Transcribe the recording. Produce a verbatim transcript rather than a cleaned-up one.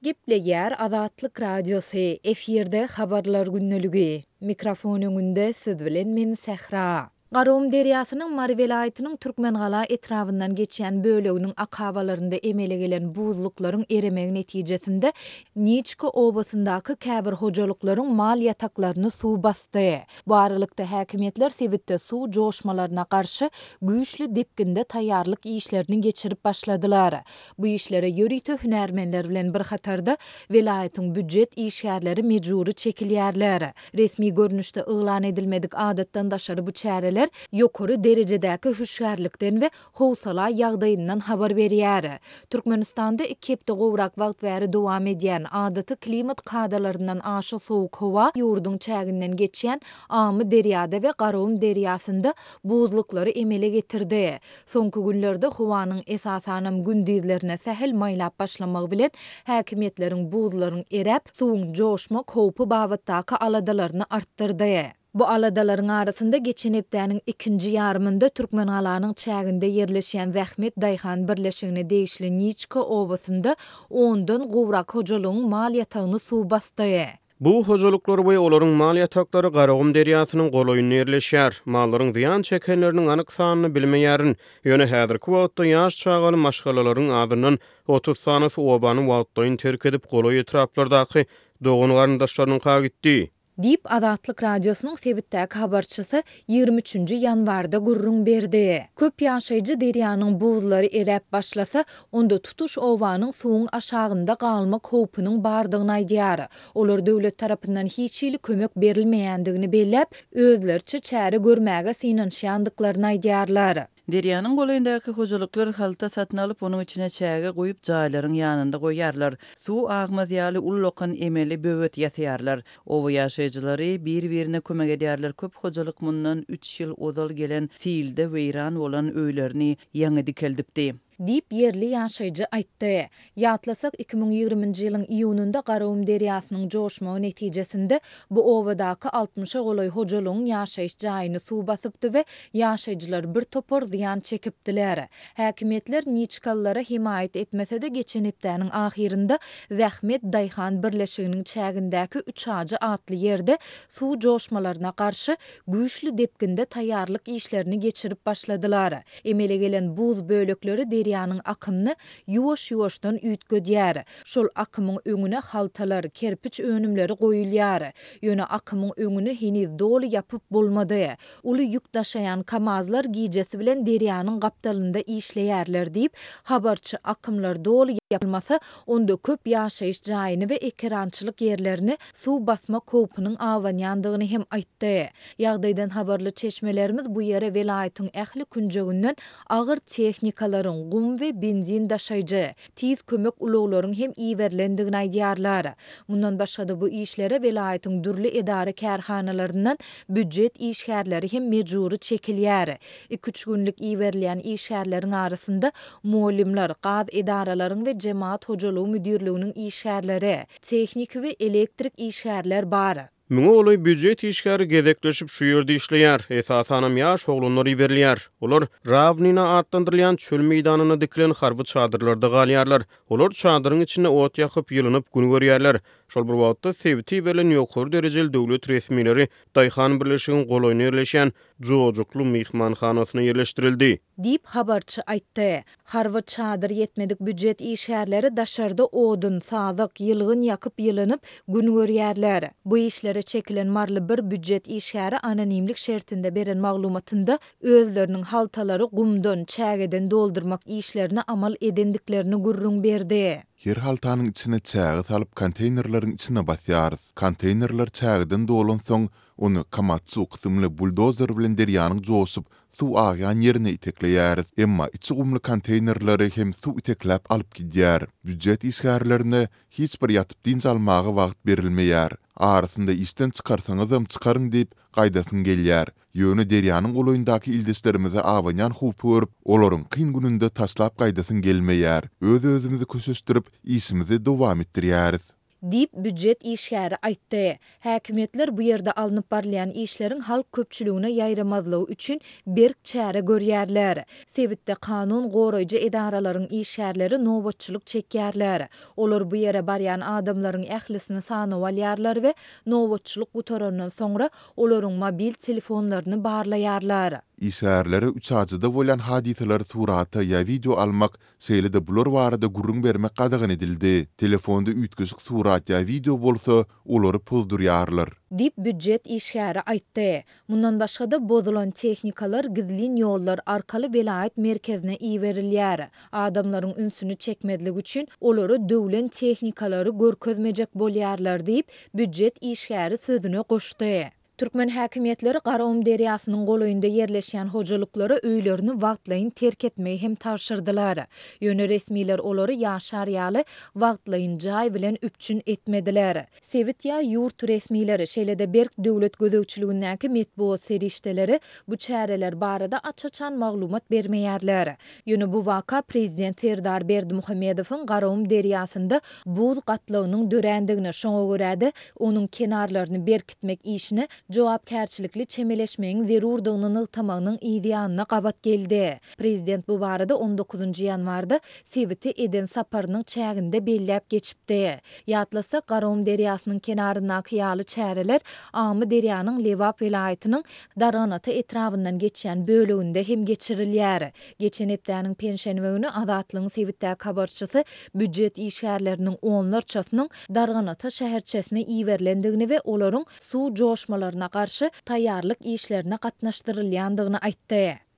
Gepleýär Azatlyk Radiosy, efirde Habarlar gündeligi. Mikrofon öňünde siz bilen men Sähra. Garagum derýasynyň Mary welaýatynyň Türkmengala etrabyndan geçýän böleginiň akabalarynda emele gelen buzluklaryň eremegi netijesinde Niçka obasyndaky käbir hojalyklaryň mal ýataklaryny suw basdy. Bu aralykda, häkimiýetler sebitde suw joşmalaryna garşy güýçli depginde taýýarlyk işlerini geçirip başladylar. Bu işlere ýörite hünärmenler bilen bir hatarda welaýatyň býujet işgärleri mejbury çekilýärler. Resmi görnüşde yglan edilmedik adatdan daşary bu çäreler ýokary derejedäki hüşgärlikden we howsala ýagdaýyndan habar berýär. Türkmenistanda iki hepde gowrak wagt bäri dowam edýän, adaty klimat kadalaryndan aşa sowuk howa ýurduň çäginden geçýän Amyderýada we Garagum derýasynda buzluklary emele getirdi. Soňky günlerde howanyň esasanam gündizlerine sähel maýlap başlamagy bilen häkimiýetleriň buzlaryň eräp, suwuň joşmak howpy babatdaky aladalaryny artdyrdy. Bu aladalaryň arasynda geçen hepdäniň ikinji ýarymynda Türkmengalanyň çäginde ýerleşýän Zähmet daýhan birleşigine degişli Niçka obasynda ondan gowrak hojalygyň mal ýatagyny suw basdy. Bu hojalyklar we olaryň mal ýataklary Garagum derýasynyň golaýynda ýerleşýär. Mallaryň zyýan çekenleriniň anyk sanyny bilmeýärin. Ýöne häzirki wagtda ýaş çagaly maşgalalaryň azyndan otuz sanysy obany wagtlaýyn terk edip, golaý etraplardaky dogan-garyndaşlarynyňka gitdi. Diýip, Azatlyk Radiosynyň sebitdäki habarçysy ýigrimi üçünji ýanwarda gürrüň berdi. Köp ýaşaýjy derýanyň buzlary eräp başlasa, onda tutuş obanyň suwuň aşagynda galmak howpunyň bardygyny aýdýar. Olar döwlet tarapyndan hiç hili kömek berilmeýändigini belläp, özleriçe çäre görmäge synanyşýandyklaryny aýdýarlar. Derýanyň golaýyndaky hojalyklar halta satyn alyp, onuň içine çäge guýup, jaýlaryň ýanynda goýýarlar. Suw agmaz ýaly ullakan emeli böwet ýasaýarlar. Oba ýaşaýjylary bir-birine kömek edýärler. Köp hojalyk mundan üç ýyl ozal gelen silde weýran bolan öýlerini ýaňy dikeldipdi. Diýip, ýerli ýaşaýjy aýtdy. Ýatlasak, iki müň ýigriminji ýylyň iýunynda Garagum derýasynyň joşmagy netijesinde bu obadaky altmyşa golaý hojalygyň ýaşaýyş jaýyny suw basypdy we ýaşaýjylar bir topar zyýan çekipdiler. Häkimiýetler niçkalylara hemaýat etmese-de, geçen hepdäniň ahyrynda Zähmet daýhan birleşiginiň çägindäki Üçajy atly ýerde suw joşmalaryna garşy güýçli depginde taýýarlyk işlerini geçirip başladylar. Emele gelen buz bölekleri derýanyň akymyny ýuwaş-ýuwaşdan üýtgedýär. Şol akymyň öňüne haltalar, kerpiç önümleri goýulýar. Ýöne akymyň öňüni heniz doly ýapyp bolmady. Uly ýük daşaýan KAMAZ-lar gijesi bilen derýanyň gapdalynda işleýärler diýip, habarçy akymlar doly ýapylmasa, onda köp ýaşaýyş jaýyny we ekerançylyk ýerlerini suw basmak howpunyň abanýandygyny hem aýtdy. Ýagdaýdan habarly çeşmelerimiz bu ýere welaýatyň ähli künjeginden agyr tehnikalaryň, gum we benzin daşaýjy, tiz kömek ulaglaryň hem iberilendigini aýdýarlar. Mundan başga-da bu işlere welaýatyň dürli edara-kärhanalaryndan býujet işgärleri hem mejbury çekilýär. Iki-üç günlük iberilýän işgärleriň arasynda mugallymlar, gaz edaralaryň we jemagat hojalygy müdirliginiň işgärleri, tehniki we elektrik işgärler bar. Müňe golaý býujet işgäri gezekleşip şu ýerde işleýär. Esasanam ýaş oglanlar iberilýär. Olar Rawnina atlandyrylýan çöl meýdanynda dikilen harby çadyrlarda galýarlar. Olar çadyryň içinde ot ýakyp, ýylynyp gün görýärler. Şol bir wagtda, sebite iberilen ýokary derejeli döwlet resmileri daýhan birleşigiň golaýynda ýerleşýän Jojukly myhmanhanasyna ýerleşdirildi. Diýip, habarçy aýtdy. Harby çadyr ýetmedik býujet işgärleri daşarda odun, sazak, ýylgyn ýakyp ýylynyp, gün görýärler. Bu işlere çekilen maryly bir býujet işgäri anonimlik şertinde beren maglumatynda özleriniň haltalary gumdan, çägeden doldurmak işlerini amal edendiklerini gürrüň berdi. Her haltanyň içine çäge salyp konteýnerleriň içine basýarys. Konteýnerler çägeden dolansoň, ony Komatsu kysymly buldozer bilen derýanyň joşup, suw agýan ýerine itekleýäris. Emma içi gumly konteýnerleri hem suw itekläp alyp gidýär. Býujet işgärlerine hiç bir ýatyp dynç almaga wagt berilmeýär. Arasynda işden çykarsaňyzam çykaryň diýip, gaýdasyň gelýär. Ýöne derýanyň golaýyndaky ildeşlerimize abanýan howpy görüp, olaryň kyn gününde taşlap gaýdasyň gelmeýär. Öz-özümizi köşeşdirip, işimizi dowam etdirýäris. Diýip, býujet işgäri aýtdy. Häkimiýetler bu ýerde alnyp barylýan işleriň halk köpçüligine ýaýramazlygy üçin berk çäre görýärler. Sebitde kanun goraýjy edaralaryň işgärleri nobatçylyk çekýärler. Olar bu ýere barýan adamlaryň ählisini sanawa alýarlar we nobatçylyk gutarandan soňra olaryň mobil telefonlaryny barlaýarlar. Işgärlere Üçajyda bolýan hadysalary surata ýa wideo almak, şeýle-de bular barada gürrüň bermek gadagan edildi. Telefonda üýtgeşik surat ýa wideo bolsa, olary pozdurýarlar. Diýip, býujet işgäri aýtdy. Mundan başga-da, bozulan tehnikalar gizlin ýollar arkaly welaýat merkezine iberilýär. Adamlaryň ünsüni çekmezlik üçin, olara döwlen tehnikalary görkezmejek bolýarlar diýip, býujet işgäri sözüne goşdy. Türkmen häkimiýetleri Garagum derýasynyň golaýynda ýerleşýän hojalyklara öýlerini wagtlaýyn terk etmegi hem tabşyrdylar. Ýöne resmiler olary ýaşar ýaly wagtlaýyn jaý bilen üpjün etmediler. Sebit ýa ýurt resmileri, şeýle-de berk döwlet gözegçiligindäki metbugat serişdeleri bu çäreler barada aç-açan maglumat bermeýärler. Ýöne bu waka prezident Serdar Berdimuhamedowyň Garagum derýasynda buz gatlagynyň dörändigini, şoňa görä-de, onuň kenarlaryny berkitmek işine jogapkärçilikli çemeleşmegiň zerurdygyny nygtamagynyň yz ýanyna gabat geldi. Prezident bu barada on dokuzynjy ýanwarda sebite eden saparynyň çäginde belläp geçipdi. Ýatlasak, Garagum derýasynyň kenaryndaky ýaly çäreler Amyderýanyň Lebap welaýatynyň Darganata etrabyndan geçýän böleginde hem geçirilýär. Geçen hepdäniň penşenbe güni Azatlygyň sebitdäki habarçysy býujet işgärleriniň onlarçasynyň Darganata şäherçesine iberilendigini we olaryň suw joşmalaryna garşy taýýarlyk işlerine gatnaşdyrylýandygyny aýtdy.